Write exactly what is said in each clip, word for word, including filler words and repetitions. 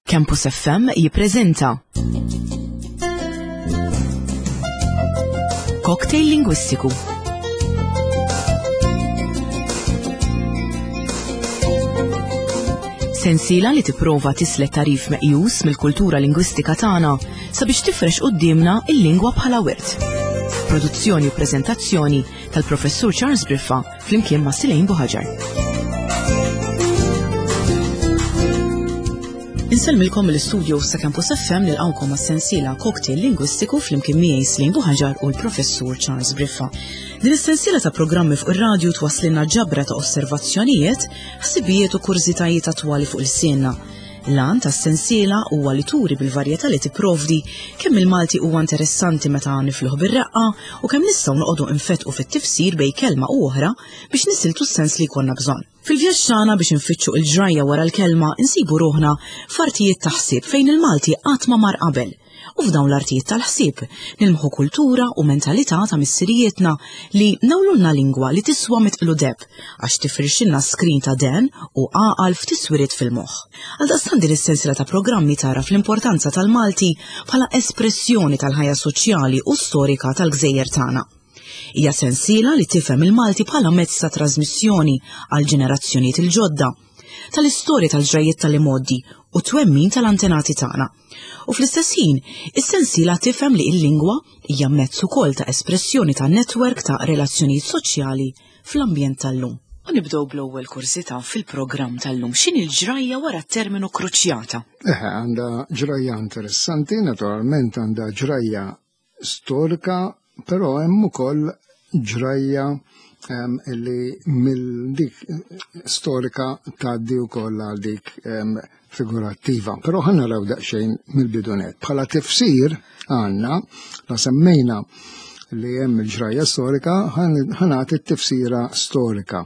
Campus F M jippreżenta Cocktail Lingwistiku. Sensiela li tipprova tislet tarif meqjus mill-kultura lingwistika tagħna sabiex tifrex quddiemna il-lingwa bħala wirt. Produzzjoni u preżentazzjoni tal-Professur Charles Briffa flimkien ma' Silejn Buħaġar. Insellmilkom mill-istudio sa' Campus F M nilqgħukom għas-sensiela Cocktail Lingwistiku flimkien miegħi Silejn Buħaġar u l-Professur Charles Briffa. Din is-sensiela ta' programmi fuq ir-radju twasslilna ġabra ta' osservazzjonijiet, ħsibijiet u kurżitajiet attwali fuq il-sienna. L-għan tas-sensiela huwa li turi bil-varjetà li tipprovdi kemm il-Malti huwa interessanti meta nifluh bir-reqqa u kemm nistgħu noqogħdu nfetqu fit-tifsir bejn kelma u oħra biex nisiltu s-sens li jkollna bżonn. Fil-vjaġġ tagħna biex nfittxu l-ġrajja wara l-kelma insibu ruħna f'artijiet ta' ħsieb fejn il-Malti qatt ma mar qabel. U f'dawn l-artijiet tal-ħsieb nilmħu kultura u mentalità ta' missirijietna li nawlulna lingwa li tiswa mitqlu deb għax tifrixilna skrin ta' den u għaqal f'tiswiriet fil-moħħ. Għaldaqstant din is-sensiela ta' programmi tara fl-importanza tal-Malti bħala espressjoni tal-ħajja soċjali u storika tal-gżejjer tagħna. Hija sensiela li tifhem il-Malti bħala mezz ta' trasmissjoni għal ġenerazzjonijiet il-ġodda, tal-istorja tal-ġrajjiet tal-imgħoddi u twemmin tal-antenati tagħna. U fl-istess ħin, is-sensiela tifhem li l-lingwa hija mezz ukoll ta' espressjoni ta' netwerk ta' relazzjonijiet soċjali fl-ambjent tal-lum. U nibdew bl-ewwel kursità fil-programm tal-lum. X'inhi l-ġrajja wara t-terminu kruċjata? Eħe, għandha ġrajja interessanti, naturalment għandha ġrajja storika, però hemm ukoll ġrajja, ehm, li mill dik storika tgħaddi wkoll għal dik, ehm, figurattiva. Però ħa naraw daqsxejn mill-bidunet. Bħala tifsir għandna, la semmejna li hemm il-ġrajja storika, ħa nagħti t-tifsira storika.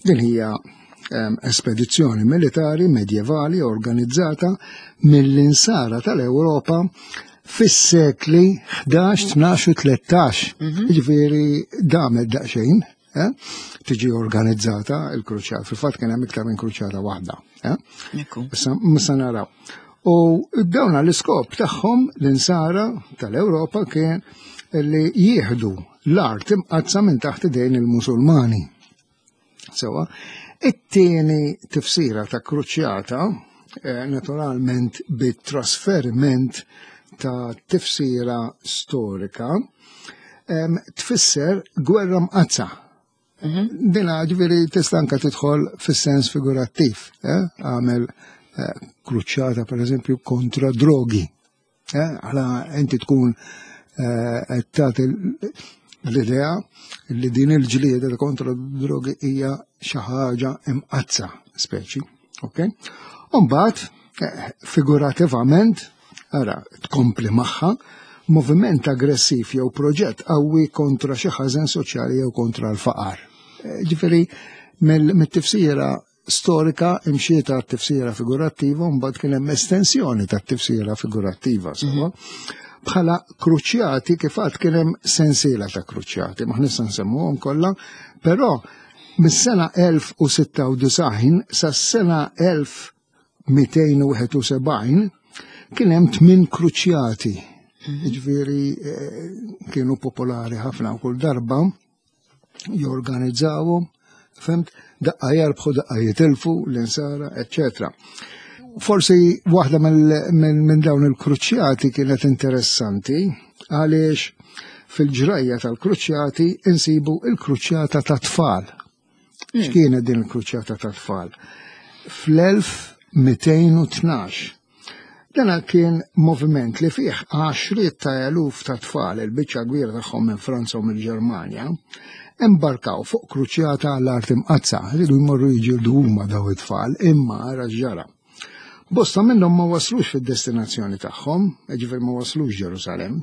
Din hija, ehm, espedizzjoni militari medjevali organizzata mill-insara tal-Ewropa fis-sekli ħdax, tnax u tlettax. Mhm. Jiġifieri damet daqsxejn, eh? Tiġi organizzata il-kruċjata. Fil-fatt kien hemm iktar minn kruċjata waħda, eh? Ekku. Issa missa naraw. U dawn l-iskop tagħhom l-insara tal-Ewropa kien li jieħdu l-art imqaddsa minn taħt idejn il-Musulmani. Sewa, it-tieni tifsira ta' kruċjata, eh, naturalment bit-trasferiment ta' tifsira storika, em, tfisser gwerra mqaddsa. Mhm. Dina ġifieri tista' anke tidħol fis-sens figurattiv, eh? Għamel, eh, kruċjata per eżempju kontra drogi. Eh? Għala inti tkun, eh, qed tagħti l-idea li din il-ġlieda kontra drogi hija xi ħaġa imqaddsa speċi, ok? U mbagħad, eh, figurativament, ara, tkompli magħha, moviment aggressiv jew proġett qawwi kontra xi ħażen soċjali jew kontra l-faqar. Eh, ġifieri, mill-, mit-tifsira storika imxiet għat-tifsira figurattiva u mbagħad kien hemm estensjoni tat-tifsira figurattiva, sewwa. Mhm. Bħala kruċjati kif għad kien hemm sensiela ta' kruċjati, ma nista' nsemmuhom kollha, però mis-sena elf u sitta u disgħin sas-sena elf mitejn u wieħed u sebgħin kien hemm tmien kruċjati. Mhm. Jiġifieri, eh, kienu popolari ħafna u kull darba jorganizzawhom, fimt, daqqa jarbħu, daqqa jitilfu l-insara, eċċetera. Forsi waħda mill-, minn, minn dawn il-kruċjati kienet interessanti għaliex fil-ġrajja tal-kruċjati insibu il-kruċjata ta' tfal. Mm. X'kienet din il-kruċjata ta' tfal? Fl-elf mitejn u tnax. Dan kien moviment li fih għaxriet ta' eluf ta' tfal, il-biċċa kbira tagħhom minn Franza u mill-Ġermanja, imbarkaw fuq kruċjata għall-art imqaddsa, rridu jmorru jiġildu huma daw it-tfal, imma ara x'ġara. Bosta minnhom ma waslux fid-destinazzjoni tagħhom, jiġifieri ma waslux Ġerusalemm,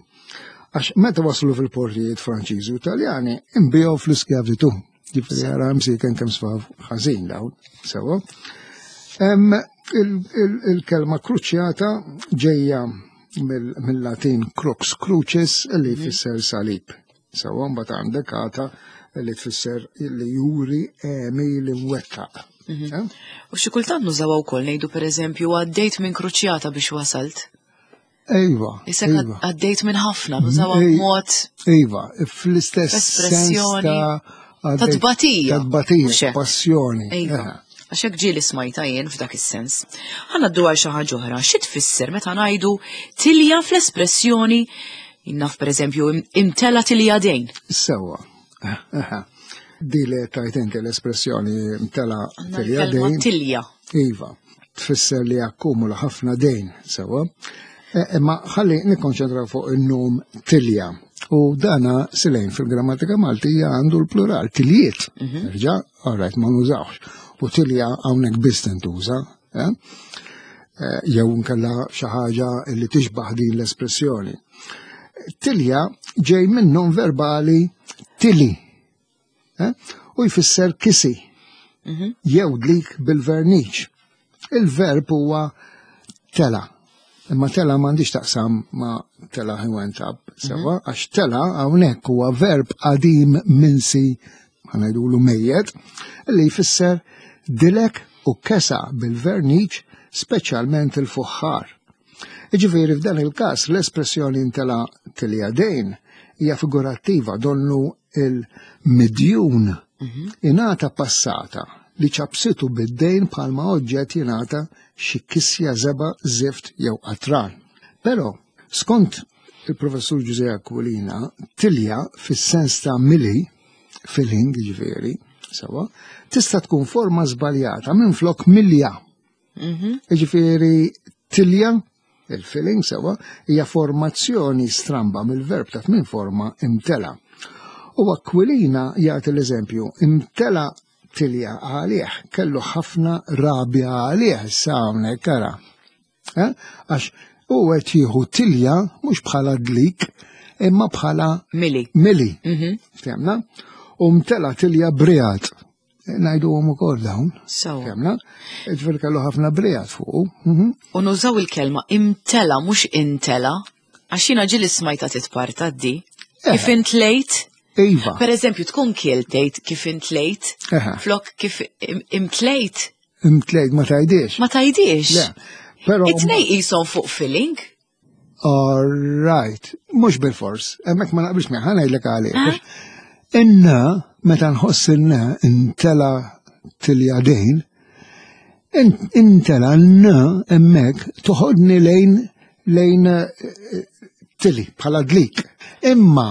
għax meta waslu fil-portijiet Franċiżi u Taljani inbiegħu fl-iskjavitu. Jiġifieri ara msiken kemm sfaw ħażin dawn, sewwa. Hemm il-, il-, il-kelma kruċjata ġejja mill-, mill-Latin crux crucis li Mhm. jfisser salib. Sewwa mbagħad għandek għata li tfisser li juri għemil imwettaq. Eh? U xi kultant nużawha wkoll ngħidu pereżempju għaddejt minn kruċjata biex wasalt. Ejwa. Isek għaddejt minn ħafna, nużawha b'mod. Iva, fl-istess sens ta' ta' tbatija. Ta' tbatija, passjoni. Iva. Għax hekk ġieli smajta jien f'dak is-sens. Ħa ngħaddu għal xi ħaġa oħra, xi tfisser meta ngħidu tilja fl-espressjoni naf pereżempju imtela tilja dejn. Sewwa. Di li tajt inti l-espressjoni imtela tilja dejn. Tilja. Iva, tfisser li akkumula ħafna dejn, sewwa. Imma ħalli nikkonċentraw fuq in-nom tilja. U dana silejn fil-grammatika Maltija għandu l-plural, tiljiet. Erġa', all right, ma nużawx. U tilja hawnhekk biss tintuża, jew nkella xi ħaġa li tixbaħ din l-espressjoni. Tilja ġej minn nom verbali tili, u jfisser kisi, jew dlik bil-verniċ. Il-verb huwa tela. Imma tela m'għandix taqsam ma tela he went up, sewa, għax tela hawnhekk huwa verb qadim minsi, ħa ngħidulu mejjet, li jfisser dilek u kesa bil-verniċ, speċjalment il-fuħħar. Jiġifieri f'dan il-każ l-espressjoni intela tilja dejn hija figurattiva, donnu il-midjun ingħata passata li ċabsitu bid-dejn bħalma oġġett jingħata xi kisja żeba, zift jew qatran. Però, skont il-professur Ġużè Aquilina, tilja fis-sens ta' mili, filling ġifieri, sewa, tista' tkun forma żbaljata minn flok milja. Ġifieri tilja, il-filling sewa, hija formazzjoni stramba mill-verb ta' tmien forma imtela. U Aquilina jagħti l-eżempju, imtela tilja għalih, kellu ħafna rabja għalih, issa hawnhekk ara. Għax u qed jieħu tilja mhux bħala dlik, imma bħala mili. Mili. Ftemna? U mtela tilja briat. Ngħiduhom ukoll dawn. Ftemna? Ġifieri kellu ħafna briat fuqu. U nużaw il-kelma imtela mhux intela, għax jiena ġieli smajta titparta di. Kif intlejt? Iva. Per eżempju, tkun kiel tgħid kif intlejt, flok kif imtlejt. Imtlejt ma tajdiex. Ma tajdiex. Le, però It-tnej qishom fuq filling. All right, mhux bil-fors, hemmhekk ma naqbilx miegħek, ħa ngħidlek għalih. Inna, meta nħoss inna intela tilja dejn, intela n hemmhekk toħodni lejn lejn tili bħala dlik. Imma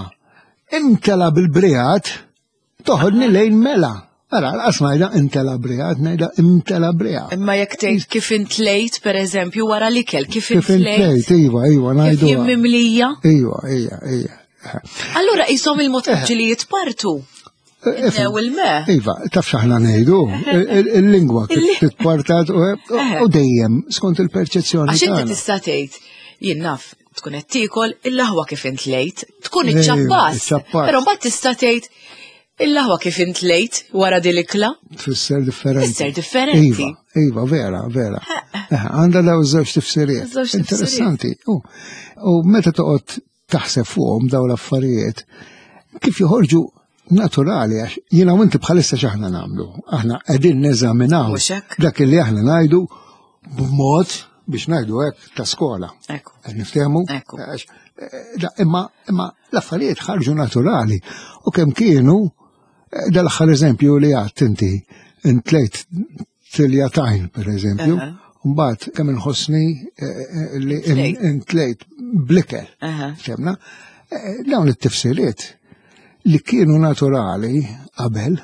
intela bil-briat toħodni lejn mela. Ara, l-qas ngħidha intela briat, ngħidha imtela briat. Imma jekk tgħid kif intlejt, per eżempju, wara l-ikel, kif Kif intlejt, iva, iva, ngħidu. Kif jien mimlija? Iva, iva, iva. Allura qishom il-mod li jitpartu. New il-me. Iva, taf x'aħna ngħidu, il-lingwa titpartat u dejjem skont il-perċezzjoni. Għax inti tista' tgħid, jien naf, tkun qed tiekol il-laħwa kif intlejt, tkun iċċappas. Però mbagħad tista' tgħid il-laħwa kif intlejt wara din l-ikla. Tfisser differenti. Tfisser differenti. Iva, iva, vera, vera. Għandha daw żewġ tifsiriet. Interessanti. U meta toqgħod taħseb fuqhom daw l-affarijiet, kif joħorġu naturali, għax jiena u inti bħalissa x'aħna nagħmlu. Aħna qegħdin neżaminaw dak li aħna ngħidu b'mod biex ngħidu hekk ta' skola. Niftehmu? Imma imma l-affarijiet ħarġu naturali u kemm kienu dal-aħħar eżempju li għadt inti intlejt tiljatajn per eżempju, mbagħad kemm inħossni li intlejt blikel. Fehmna? Dawn it-tifsiriet li kienu naturali qabel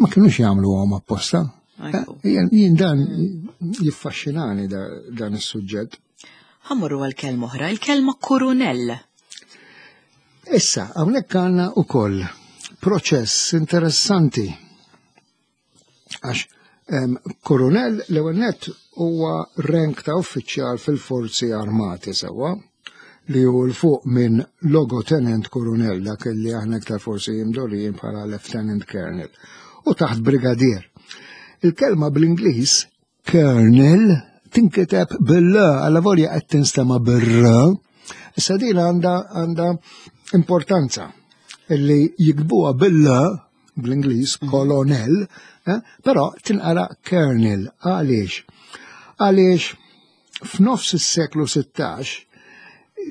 ma kienux jagħmluhom apposta. Jien dan jiffaxxinani dan is-suġġett. Ħammurru għal kelma oħra, il-kelma kurunell. Issa, hawnhekk għandna wkoll proċess interessanti. Għax kurunell l-ewwel nett huwa rank ta' uffiċjal fil-forzi armati sewwa, li hu l fuq minn logotenent kurunell, dak li aħna iktar forsi jimdorijin bħala lieutenant colonel, u taħt brigadier. Il-kelma bl-Ingliż colonel tinkiteb bil-L, alla volja qed tinstema' bir-R. Issa din għandha għandha importanza illi jikbuha bil-L bl-Ingliż, colonel, eh, però tinqara kernel. Għaliex? Għaliex f'nofs is-seklu sittax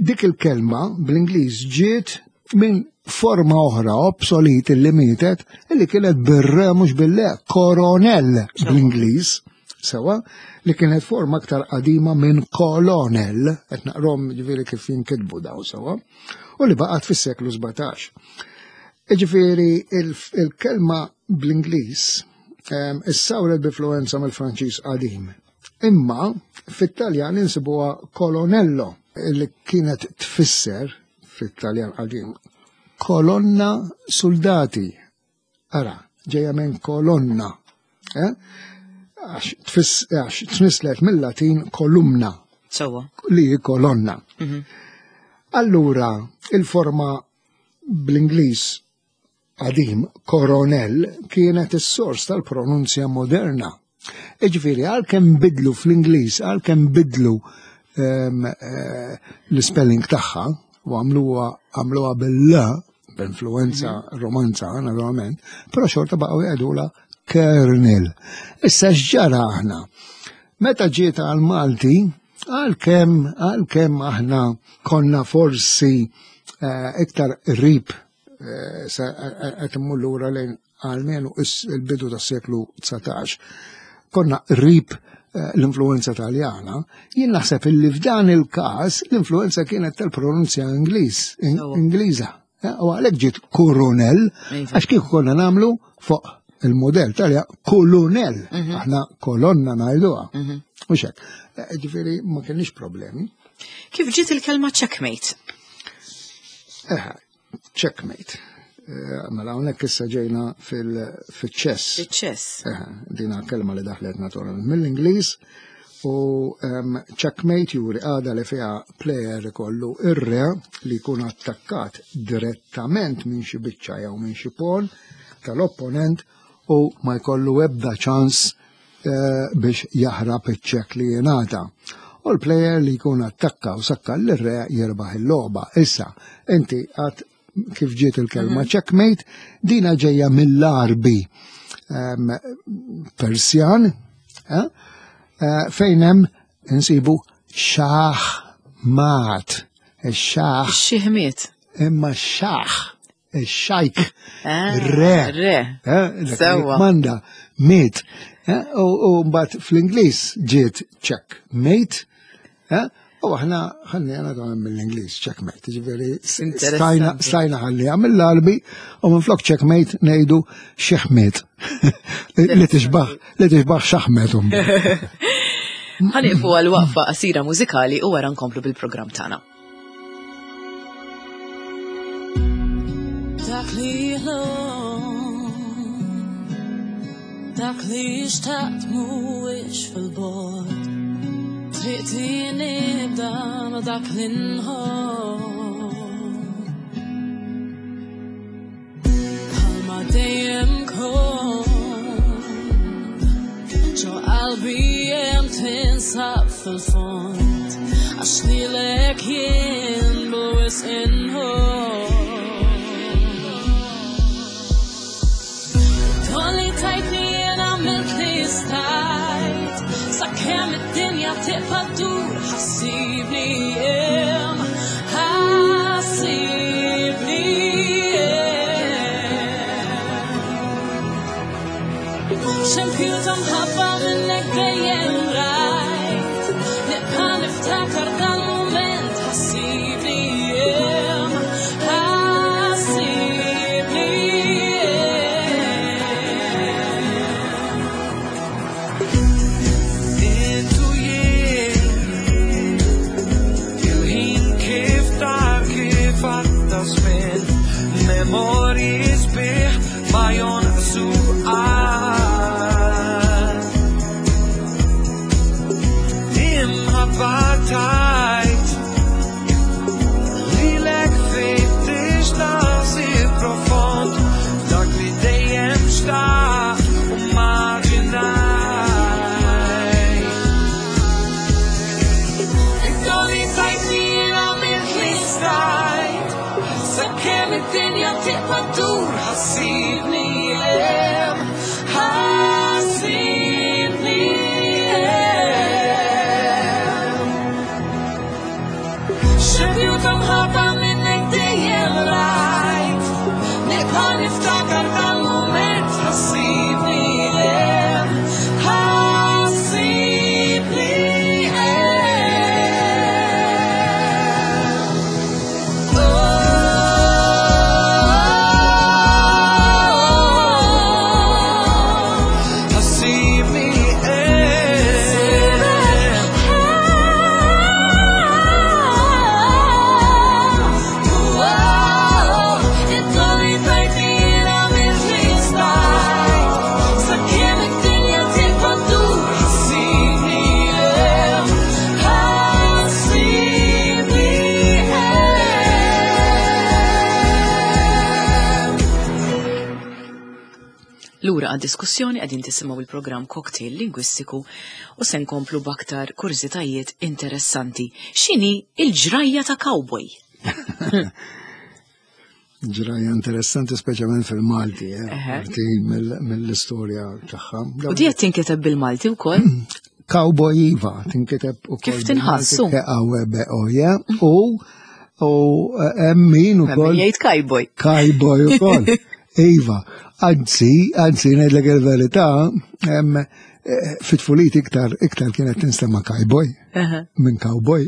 dik il-kelma bl-Ingliż ġiet minn forma oħra obsolete li mietet, illi kienet bir-re mhux bil-le, coronel bl-Ingliż, sewa, li kienet forma aktar qadima minn colonel, qed naqrom ġifieri kif jinkitbu daw sewa, u li baqgħet fis-seklu sbatax. Ġifieri il-kelma bl-Ingliż issawret b'influenza mill-Franċiż qadim. Imma fit-Taljan insibuha colonello, li kienet tfisser fit-Taljan qadim kolonna soldati. Ara, ġejja minn kolonna. Eh? Għax tnislet mill-Latin kolumna. Sewwa. Li hi kolonna. Allura, il-forma bl-Ingliż qadim, coronel, kienet is-sors tal-pronunzja moderna. Iġifieri, għalkemm bidlu fl-Ingliż, għalkemm bidlu ehm, eh, l-spelling tagħha, u għamluha għamluha bil-L, b'influenza romanza, naturalment, però xorta baqgħu jgħidula kernel. Issa x'ġara aħna? Meta ġiet għal-Malti, għalkemm għalkemm aħna konna forsi eh, iktar qrib eh, qed immur lura lejn għalmenu il-bidu tas-seklu dsatax, konna qrib eh, l-influenza taljana, jien naħseb illi f'dan il-każ l-influenza kienet tal-pronunzja Ingliż, Ingliża. U għalhekk ġiet coronel, għax kieku konna nagħmlu fuq il-modell talja kolonel, aħna kolonna ngħiduha. Mhux hekk. Ġifieri ma kienx problemi. Kif ġiet il-kelma checkmate? Eh, checkmate. Mela hawnhekk issa ġejna fil-ċess. Fil-ċess. Dina kelma li daħlet naturalment mill-Ingliż u checkmate juri għada li fiha player ikollu ir-re li jkun attakkat direttament minn xi biċċa jew minn xi pawn tal-opponent u ma jkollu ebda ċans biex jaħrab iċ-check li jingħata. U l-player li jkun attakka u sakka l-re jirbaħ il-logħba. Issa, inti għad kif ġiet il-kelma checkmate, dina ġejja mill-Arbi Persjan, eh, fejn hemm insibu xaħ mat. Ix-xaħ. Xi-ħmiet. Imma xaħ, ix-xajk, Ah, re. Re. Eh, Sewwa. Manda, miet. Eh, u mbagħad fl-Ingliż ġiet checkmate, eh, u aħna ħallejna dan mill-Ingliż checkmate, ġifieri Interessanti. stajna ħalliha mill-Arbi u minflok checkmate ngħidu xeħmiet. Li tixbaħ, li tixbaħ xaħmet. Ħa nieqfu għal waqfa qasira mużikali u wara nkomplu bil-programm tagħna. Dak li ħlom, dak li xtaqt mhuwiex fil-bogħod. Triqti nibda ma dak li nħobb. Bħalma dejjem kont, ġo qalbi hemm tinsab fil-fond, għax lilek jien bil-wisq inħobb. Tolli tajtni jien għamilt li stajt, sakemm id-dinja tibqa' ddur, ħassibni hemm, ħassibni hemm. Xempju ta' mħabba minnek dejjem rajt, nibqa' niftakar dal-mument, ħassibni hemm, ħassibni hemm. Intu jien, il-ħin kif tar kif għadda żmien, memorji sbieħ ma jonqsu qatt. Imħabba tajt, lilek fittix naħsib profond, dak li dejjem xtaqt u maġinajt. Id-doli tajtni jien għamilt li stajt, sakemm id-dinja tibqa' ddur, ħa ssibni hemm, ħa ssibni hemm. Xempju ta' mħabba minnek dejjem rajt, nibqa' niftakar dal-mument, ħa ssibni hemm, ħa ssibni hemm. Ħa ssibni hemm. Lura għad-diskussjoni qegħdin tisimgħu il-programm Cocktail Lingwistiku u se nkomplu b'aktar kurżitajiet interessanti. X'inhi il-ġrajja ta' cowboy? Ġrajja interessanti speċjalment fil-Malti, eh, Eħe. parti mill- mill-istorja tagħha. U di qed tinkiteb bil-Malti wkoll? Cowboy iva, tinkiteb ukoll Kif tinħassu? K A W B O J u u eh, hemm min ukoll Jgħid cowboy. Cowboy ukoll. Iva, anzi, anzi ngħidlek il-verità, hemm eh, fit-tfulit iktar iktar kienet tinstema' cowboy Eħe. minn cowboy.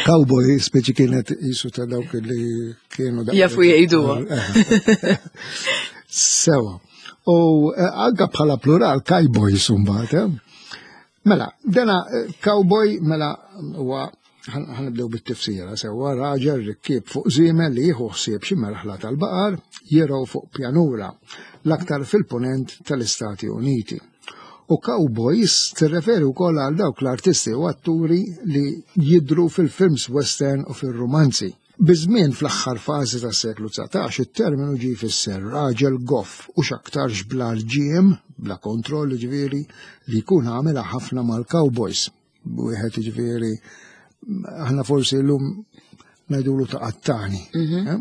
Cowboy speċi kienet jisu ta' dawk li kienu dawk- Jafu jgħiduha. Sewa. U eh, anka bħala plural cowboys mbagħad, eh? Mela, dana eh, cowboy mela huwa ħa nibdew bit-tifsira sewa raġel rikkieb fuq żiemel li jieħu ħsieb xi merħla tal-baqar jirgħu fuq pjanura l-aktar fil-ponent tal-Istati Uniti. U cowboys tirreferi wkoll għal dawk l-artisti u atturi li jidru fil-films western u fil-romanzi. Biż-żmien fl-aħħar fażi tas-seklu dsatax it-terminu ġie jfisser raġel goff u x'aktarx bla rġiem, bla kontroll ġifieri, li jkun għamilha ħafna mal-cowboys. Wieħed ġifieri aħna forsi llum ngħidulu ta' qattani. eh?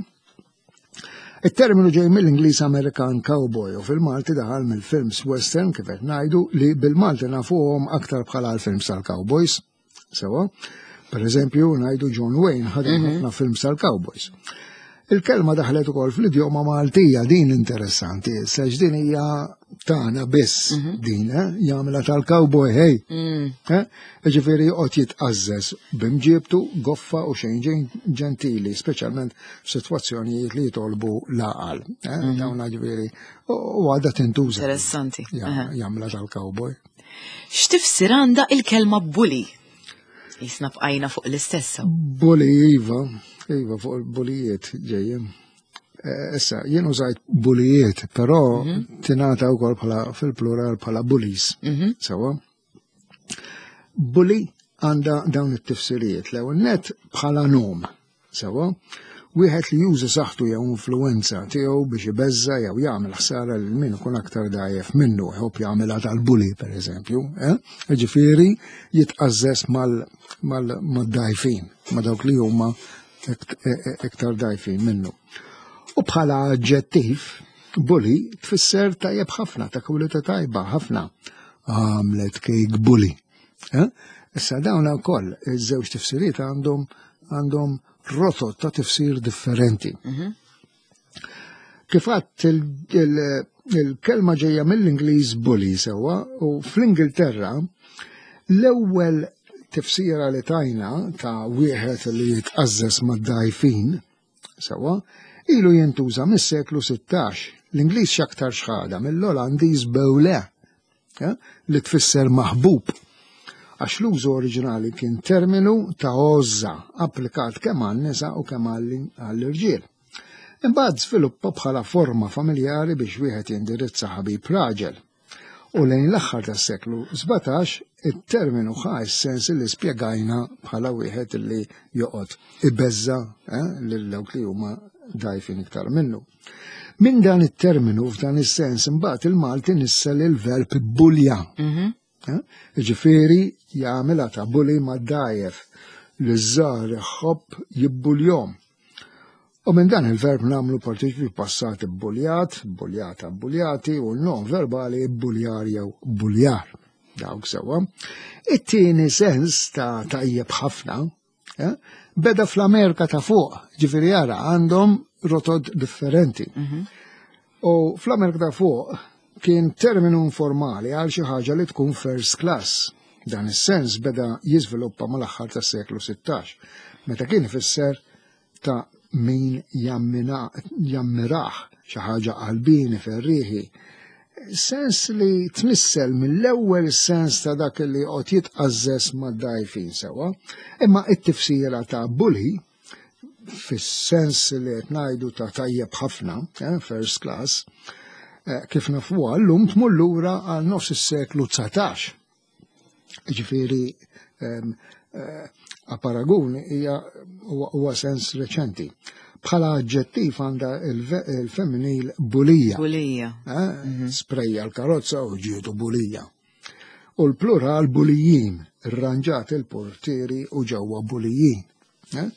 Il-terminu ġej mill-Ingliż Amerikan cowboy u fil-Malti daħal mill-films western kif qed ngħidu li bil-Malti nafuhom aktar bħala l-films tal-cowboys. Sewa, per eżempju ngħidu John Wayne ħadem ħafna films tal-cowboys. Il-kelma daħlet ukoll fl-idjoma Maltija, din interessanti, sex din hija tagħna biss din, eh? Jagħmilha tal-cowboy, hey. Eh? Ġifieri joqgħod jitqażżeż b'imġiebtu goffa u xejn ġen- ġentili, speċjalment f'sitwazzjonijiet li jitolbu l-għaqal. Eh? Dawna ġifieri u u għadha tintuża. Interessanti. Ja- Aha. Jagħmilha tal-cowboy. X'tifsir għandha il-kelma bully? Jisna bqajna fuq l-istessa. Bully iva, iva fuq il-bulijiet ġejjem. Eh, Issa, jien użajt bulijiet, però tingħata wkoll bħala fil-plural bħala bullies. Sewa. Bully għandha dawn it-tifsirijiet. L-ewwel net bħala nom. Sewa. Wieħed li juża saħħtu jew influenza tiegħu biex ibeżża jew jagħmel ħsara lil min ikun aktar dgħajjef minnu, jħobb jagħmilha tal-bully pereżempju, eh? Ġifieri jitqażżeż mal mal mad-dgħajfin, ma dawk li huma ikt- e- e- iktar dgħajfin minnu. U bħala aġġettiv, bully tfisser tajjeb ħafna, ta' kwalità tajba ħafna. Għamlet kejk bully. Eh? Issa dawn ukoll iż-żewġ tifsiriet għandhom għandhom rotot ta' tifsir differenti. Kif għadt il- il- il-kelma ġejja mill-Ingliż bully sewa u fl-Ingilterra l-ewwel tifsira li tajna ta' wieħed li jitqażżeż mad-dgħajfin sewa ilu jintuża mis-seklu sittax. L-Ingliż x'aktar xħada mill-Olandiż beule, eh, li tfisser maħbub. Għax l-użu oriġinali kien terminu ta' għożża applikat kemm għan-nisa u kemm għall-irġiel. Imbagħad żviluppa bħala forma familjari biex wieħed jindirizza ħabib raġel. U lejn l-aħħar tas-seklu sbatax it-terminu ħa s-sens li spjegajna bħala wieħed li joqgħod ibeżża, eh, lil dawk li huma dgħajfin iktar minnu. Min dan it-terminu f'dan is-sens imbagħad il-Malti nissel il-verb bulja. Eh? Ġifieri jagħmilha ta' bully mad-dgħajjef li żgħar iħobb jibbuljhom. U minn dan il-verb nagħmlu partiċipju passat ibbuljat, buljata buljati u n-nom verbali ibbuljar jew buljar. Dawk sewwa. It-tieni sens ta' tajjeb ħafna eh, beda fl-Amerika ta' fuq, ġifieri jara għandhom rotot differenti. U fl-Amerika ta' fuq kien terminu informali għal xi ħaġa li tkun first class. Dan is-sens beda jiżviluppa mal-aħħar tas-seklu sittax, meta kien ifisser ta' min jammina- jammirah, xi ħaġa qalbini ferriħi. Sens li tnissel mill-ewwel sens ta' dak li qed jitqażżes mad-dajfin sewwa, imma it-tifsira ta' bully fis-sens li qed ngħidu ta' tajjeb ħafna, eh, first class, eh, kif nafuha llum tmur lura għal nofs is-seklu dsatax. Ġifieri ehm, eh, a paragun hija huwa huwa sens reċenti. Bħala aġġettiv għandha il-femminil bulija. Bulija. Eh, Sprejja l-karozza u ġietu bulija. U l-plural bulijin, irranġat il-portieri u ġewwa bulijin. Eh?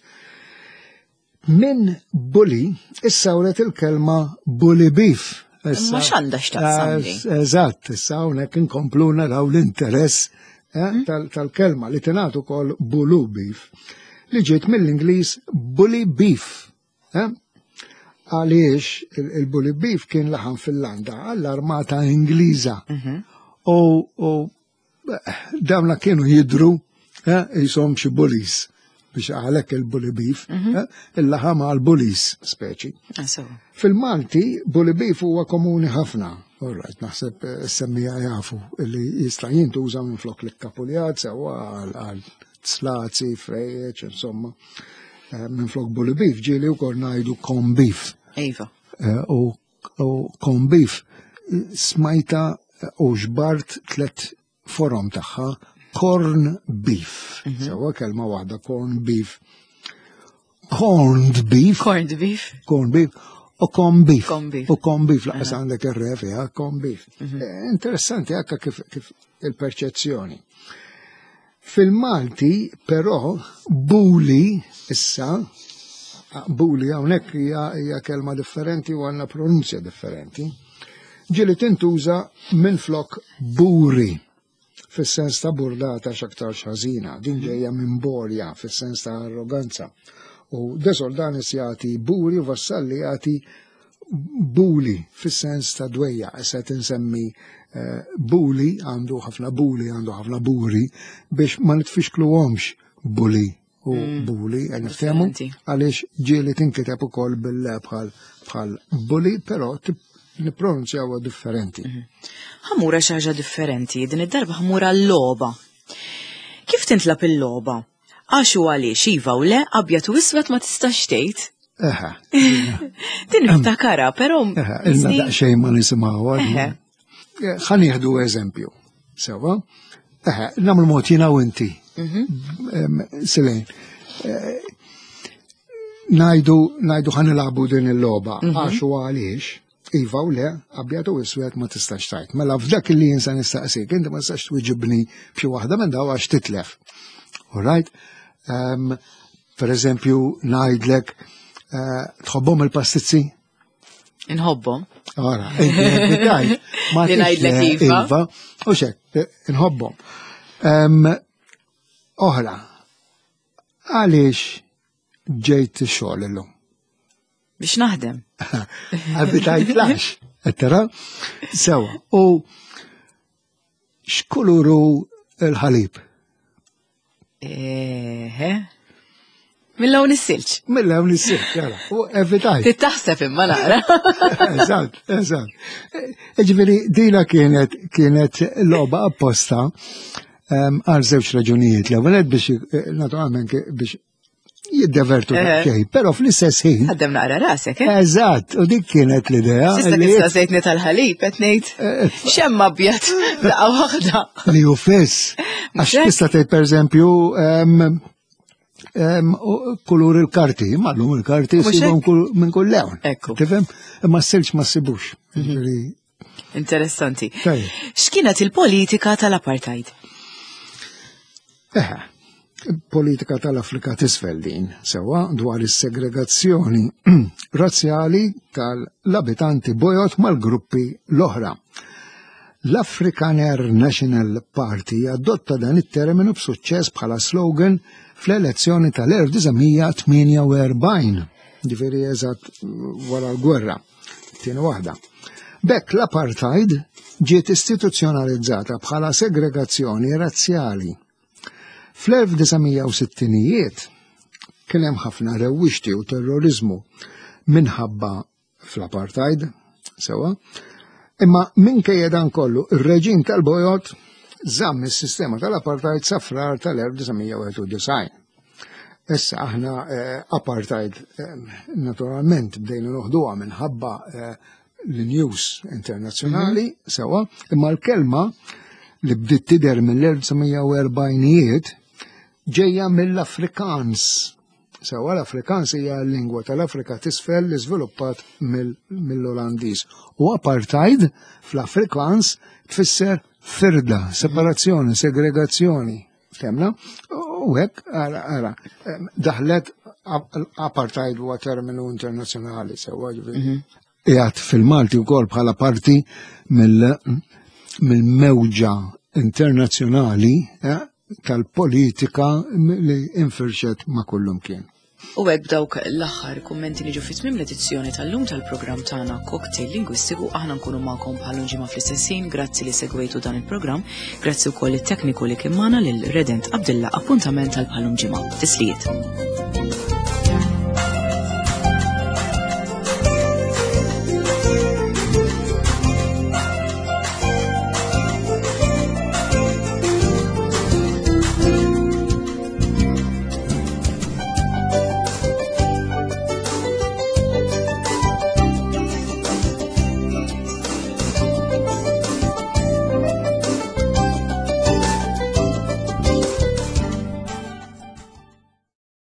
Min bully issawret il-kelma bully beef. Issa- Imma x'għandha x'taqsam di? Eżatt, issa hawnhekk inkomplu naraw l-interess eh, tal- tal-kelma li tingħad ukoll blue beef li ġiet mill-Ingliż bully beef. eh? Għaliex il- il-bully beef kien laħam fil-landa għall-armata Ingliża. U u, eh, dawna kienu jidru eh, jisom xi bullies biex għalhekk il-bully beef, eh, il-laħam għal-bullies speċi. Ah, sewwa. Fil-Malti, bully beef huwa komuni ħafna. All right, naħseb eh, semmija jafu li jista' jintuża minn flok l-kapuljat, sewa għal għal slazi, frejjeċ, insomma. Eh, Minn flok bully beef ġieli wkoll ngħidu corn beef. Iva. Eh, U u corn beef eh, smajta u ġbart tlet forom tagħha corn beef. Sewa kelma waħda corn beef. Corned beef Corned beef. corn beef u corn beef. Corn beef. U corn beef, laqas għandek ir-refi, ha, corn beef. Eh, Interessanti akka kif, kif il-perċezzjoni. Fil-Malti, però, buli, issa, buli hawnhekk hija hija kelma differenti u għandna pronunzja differenti, ġieli tintuża minn flok buri fis-sens ta' burdata x'aktar ħażina, din ġejja minn borja fis-sens ta' arroganza. U De Soldanis jagħti buri u Vassalli jagħti buli fis-sens ta' dwejja. Issa tinsemmi eh, buli għandu ħafna buli, għandu ħafna buri biex ma nitfixkluhomx buli u buli, mm. niftehmu Differenti. għaliex ġieli tinkiteb ukoll bil bħal bħal buli, però tip- nippronunzjawha differenti. Ħa mmur xi ħaġa differenti, din id-darba ħa mmur l-logħba. Kif tintlab il-logħba? Għax u għaliex iva u le, abjad u iswed ma tistax tgħid. Eħe, Din niftakara, però eħe, ilna daqsxejn ma nisimgħuha. Eħe. Ħa nieħdu eżempju. Sewa? Eħe, nagħmlu mod jiena u inti. Em, Silejn. Eh, Ngħidu, ngħidu ħa nilagħbu din il-logħba, għax u għaliex, iva u le, abjad u iswed ma tistax tgħid. Mela f'dak li jinsa nistaqsik, inti ma tistax twiġibni b'xi waħda minn daw għax titlef. All right? Um, per eżempju, ngħidlek, eh, tħobbhom il-pastizzi? Inħobbhom. Ora, inti tajt, ma Li ngħidlek tix, iva. Iva, u xek, inħobbhom. Em, Oħra, għaliex ġejt xogħol illum? Biex naħdem. Għalbi tajt lax, ettera? Sewa, u x'kuluru il-ħalib? Eħe. Mill-lawn is-silġ. Mill-hawn is-silġ, jara, u evitajt. Tittaħseb imma naqra. Eżatt, eżatt. Ġifieri, dina kienet kienet logħba apposta em, għal żewġ raġunijiet. L-ewwel nett biex eh, naturalment ke- biex jiddevertu Eh. daqsxejn, però fl-istess ħin. Ħaddem naqra rasek, eh? Eżatt, u dik kienet l-idea Sista li kif sejtni tal-ħalib, qed ngħid. Eh, Xemm abjad daqqa waħda. li hu fiss. Għax Mhux hekk? tista' tgħid pereżempju em, em, u- kulur il-karti, ma llum il-karti Mhux sibhom hekk? kull- minn kull lewn. Ekku. Tifhem? Imma s-silġ ma ssibux. Ġifieri, Interessanti. Tajjeb. X'kienet il-politika tal-apartheid? Eħe, Politika tal-Afrika t'Isfel din, sewa dwar is-segregazzjoni razzjali tal-abitanti bojod mal-gruppi l-oħra. L-Afrikaner National Party adotta dan it-terminu b'suċċess bħala slogan fl-elezzjoni tal-elf disa' mija tmienja u erbgħin, ġifieri eżatt wara l-gwerra, tieni waħda. B'hekk l-apartheid ġiet istituzzjonalizzata bħala segregazzjoni razzjali. Fl-elf disa' mija u sittinijiet kien hemm ħafna rewwixti u terrorizmu minħabba fl-apartheid, sewa, imma minkejja dan kollu ir-reġim tal-bojod żamm is-sistema tal-apartheid sa Frar tal-elf disa' mija wieħed u disgħin. Issa aħna eh, apartheid eh, naturalment bdejna noħduha minħabba eh, l-news internazzjonali, mm -hmm. sewa, imma l-kelma li bdiet tidher mill-elf disa' mija u erbgħinijiet ġejja mill-Afrikaans. Sewa, l-Afrikaans hija l-lingwa tal-Afrika t'Isfel li żviluppat mill-Olandiż. U apartheid fl-Afrikaans tfisser firda, separazzjoni, segregazzjoni. Fhimna? U hekk, ara, ara, daħlet apartheid huwa terminu internazzjonali, sewa, ġifieri. Qiegħed fil-Malti wkoll bħala parti mill-mewġa internazzjonali eh, tal-politika li infirxet ma' kullum kien. U hekk b'dawk l-aħħar kummenti niġu fi tmiem l-edizzjoni tal-lum tal-programm tagħna Cocktail Lingwistiku. Aħna nkunu magħkom bħal ġimgħa fl-istess ħin. Grazzi li segwejtu dan il-programm, grazzi wkoll it-tekniku li kien magħna, lil Redent Abdilla. Appuntament tal bħal ġimgħa. Tislijiet.